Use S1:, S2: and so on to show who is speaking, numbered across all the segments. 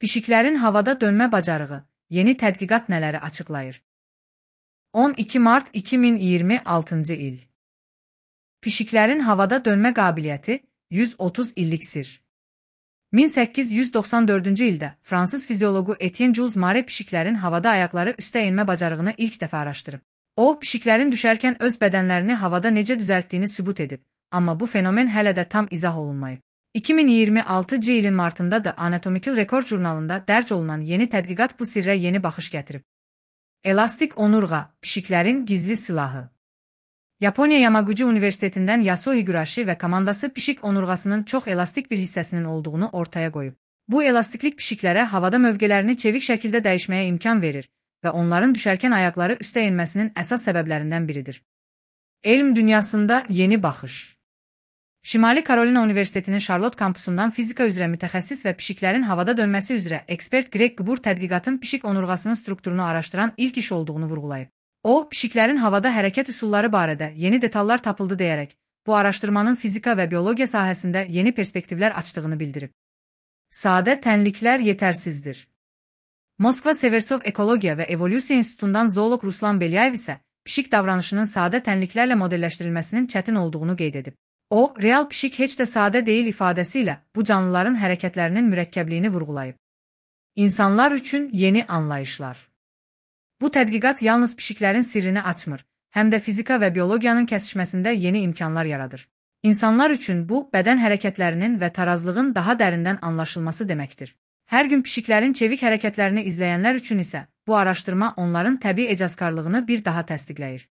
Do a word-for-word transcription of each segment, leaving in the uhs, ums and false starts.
S1: Pişiklərin havada dönmə bacarığı, yeni tədqiqat nələri açıqlayır? on iki mart iki min iyirmi altıncı il. Pişiklərin havada dönmə qabiliyyəti yüz otuz illik sir. min səkkiz yüz doxsan dördüncü ildə Fransız fizioloqu Etienne Jules Mare pişiklərin havada ayaqları üstə enmə bacarığını ilk dəfə araşdırıb. O, pişiklərin düşərkən öz bədənlərini havada necə düzəltdiyini sübut edib, amma bu fenomen hələ də tam izah olunmayıb. iki min iyirmi altıncı ilin martında da Anatomical Record jurnalında dərc olunan yeni tədqiqat bu sirrə yeni baxış gətirib. Elastik onurğa, pişiklərin gizli silahı. Yaponiya Yamaguchi Universitetindən Yasuo Higurashi və komandası pişik onurğasının çox elastik bir hissəsinin olduğunu ortaya qoyub. Bu elastiklik pişiklərə havada mövqələrini çevik şəkildə dəyişməyə imkan verir və onların düşərkən ayaqları üstə enməsinin əsas səbəblərindən biridir. Elm dünyasında yeni baxış. Şimali Karolina Universitetinin Charlotte kampusundan fizika üzrə mütəxəssis və pişiklərin havada dönməsi üzrə ekspert Greg Gbur tədqiqatın pişik onurğasının strukturunu araşdıran ilk iş olduğunu vurğulayıb. O, pişiklərin havada hərəkət üsulları barədə yeni detallar tapıldı deyərək, bu araşdırmanın fizika və biologiya sahəsində yeni perspektivlər açdığını bildirib. Sadə tənliklər yetərsizdir. Moskva Seversov Ekologiya və Evolyusiya İnstitutundan zooloq Ruslan Belyayev isə pişik davranışının sadə tənliklərlə modelləşdirilməsinin çətin olduğunu qeyd edib. O, real pişik heç də sadə deyil ifadəsi ilə bu canlıların hərəkətlərinin mürəkkəbliyini vurğulayıb. İnsanlar üçün yeni anlayışlar. Bu tədqiqat yalnız pişiklərin sirrini açmır, həm də fizika və biologiyanın kəsişməsində yeni imkanlar yaradır. İnsanlar üçün bu, bədən hərəkətlərinin və tarazlığın daha dərindən anlaşılması deməkdir. Hər gün pişiklərin çevik hərəkətlərini izləyənlər üçün isə bu araşdırma onların təbii ecazkarlığını bir daha təsdiqləyir.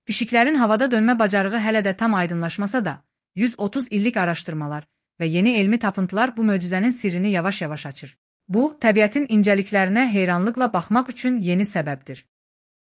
S1: Pişiklərin havada dönmə bacarığı hələ də tam aydınlaşmasa da, yüz otuz illik araşdırmalar və yeni elmi tapıntılar bu möcüzənin sirrini yavaş-yavaş açır. Bu, təbiətin incəliklərinə heyranlıqla baxmaq üçün yeni səbəbdir.